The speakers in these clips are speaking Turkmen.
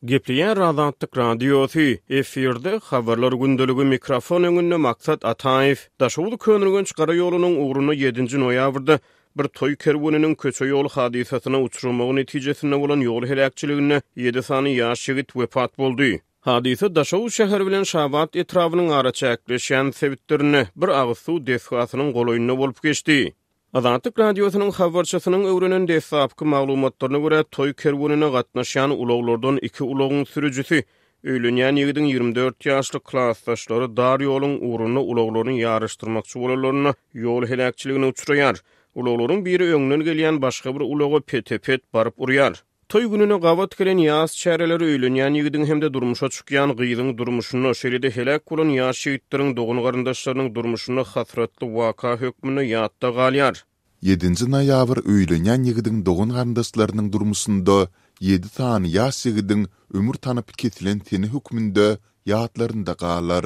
Gepleýär Azatlyk Radiosy, efirde Habarlar gündeligi, mikrofon öňünde Maksat Ataýew. Daşoguz-Köneürgenç gara ýolunyň ugrunda ýedinji noýabrda bir toý kerweniniň köçe-ýol hadysasyna uçramagy netijesinde bolan ýol heläkçiliginde ýedi sany ýaş ýigit wepat boldy. Hadysa Daşoguz şäheri bilen Şabat etrabynyň araçäkleşýän sebitlerinde, bir agyz suw desgasynyň golaýynda bolup geçdi. Azatlyk Radiosynyň habarçysynyň öwrenen deslapky maglumatlaryna görä, toý kerwenine gatnaşýan ulaglardan iki ulagyň sürüjisi, öýlenýän ýigidiň 24 ýaşly klasdaşlary dar ýoluň ugrunda ulaglaryny ýaryşdyrmakçy bolanlarynda ýol heläkçiligine uçraýar. Ulaglaryň biri öňden gelýän başga bir ulaga pete-pet baryp urýar. Toý gününe gabat gelen ýas çäreleri öýlenýän ýigidiň hem-de durmuşa çykýan gyzyň durmuşynda, şeýle-de heläk bolan ýaş ýigitleriň dogan-garyndaşlarynyň durmuşynda hasratly waka hökmünde ýatda galýar. Ýedinji noýabr öýlenýän ýigidiň dogan-garyndaşlarynyň durmuşynda ýedi sany ýaş ýigidiň ömür tanapy kesilen sene hökmünde ýatlarynda galar.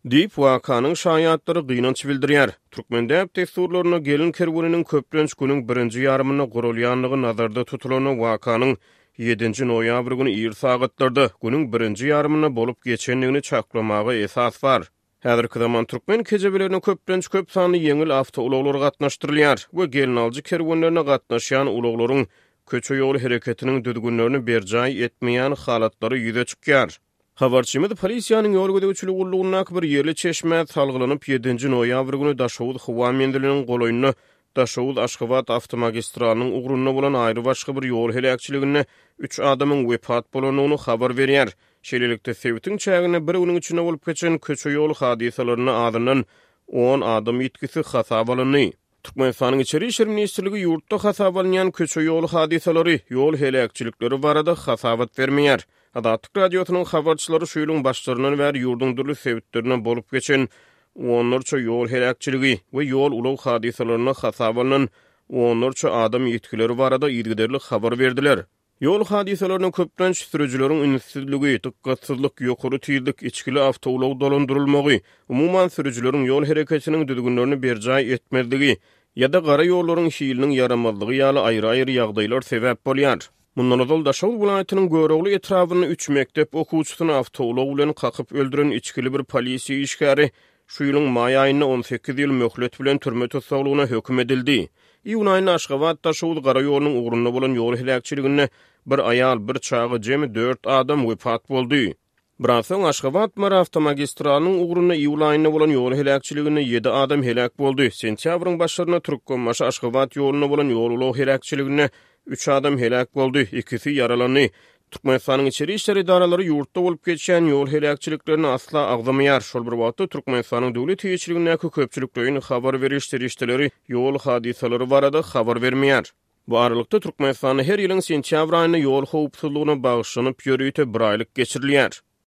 Diýip, wakanyň şaýatlary gynanç bildirýär. Türkmen däp-dessurlarynda gelin kerweniniň köplenç günüň birinji ýarymynda guralýandygy nazarda tutulanda wakanyň ýedinji noýabr güni ir sagatlarda, günüň birinji ýarymynda bolup geçendigini çaklamaga esas bar. Häzirki zaman türkmen kejebelerine köplenç köp sanly ýeňil awtoulaglar gatnaşdyrylýar we gelnaljy kerwenlerine gatnaşýan ulaglaryň köçe-ýol hereketiniň düzgünlerini berjaý etmeýän halatlary ýüze çykýar. Habarçymyz polisiýanyň ýol gözegçiligi gullugyndaky bir ýerli çeşmä salgylanyp, ýedinji noýabr güni Daşoguz howa menziliniň golaýynda Daşoguz-Aşgabat awtomagistralynyň ugrunda bolan aýrybaşga bir ýol heläkçiliginde üç adamyň wepat bolandygyny habar berýär. Şeýlelikde, sebitiň çäginde bir günüň içinde bolup geçen köçe-ýol hadysalarynda azyndan on adam ýitgisi hasaba alyndy. Türkmenistanyň Içeri işler ministrligi ýurtda hasaba alynýan köçe-ýol hadysalary, ýol heläkçilikleri barada hasabat bermeýär. Azatlyk Radiosynyň habarçylary şu ýylyň başlaryndan bäri ýurduň dürli sebitlerinde bolup geçen onlarça ýol heläkçiligi we ýol-ulag hadysalarynda hasaba alnan onlarça adam ýitgileri barada yzygiderli habar berdiler. Ýol hadysalaryna köplenç sürüjileriň ünssüzligi, dykgatsyzlyk, ýokary tizlik, içgili awtoulag dolandyrylmagy, umuman, sürüjileriň ýol hereketiniň düzgünlerini berjaý etmezligi ýa-da gara ýollaryň hiliniň ýaramazlygy ýaly aýry-aýry ýagdaýlar sebäp bolýar. Mundan ozal Daşoguz welaýatynyň Görogly etrabynda üç mekdep okuwçysyny awtoulag bilen kakyp öldüren içgili bir polisiýa işgäri Şu ýylyň maý aýynda 18 ýyl möhlet bilen türme tussaglygyna höküm edildi. Iýun aýynda Aşgabat-Daşoguz gara ýolunyň ugrunda bolan ýol heläkçiliginde bir aýal, bir çaga, jemi dört adam wepat boldy. Biraz soň Aşgabat-Mary awtomagistralynyň ugrunda iýul aýynda bolan ýol heläkçiliginde ýedi adam heläk boldy. Sentýabryň başlarynda Türkmenbaşy-Aşgabat ýolunda bolan ýol-ulag heläkçiliginde üç adam heläk boldy, ikisi ýaralandy. Türkmenistanyň içeri işler edaralary ýurtda bolup geçýän ýol heläkçiliklerini asla agzamaýar. Şol bir wagtda, Türkmenistanyň döwlet eýeçiligindäki köpçülikleýin habar beriş serişdeleri ýol hadysalary barada habar bermeýär. Bu aralykda, Türkmenistanda her ýylyň sentýabr aýynda ýol howpsuzlygyna bagyşlanyp ýörite biraýlyk geçirilýär.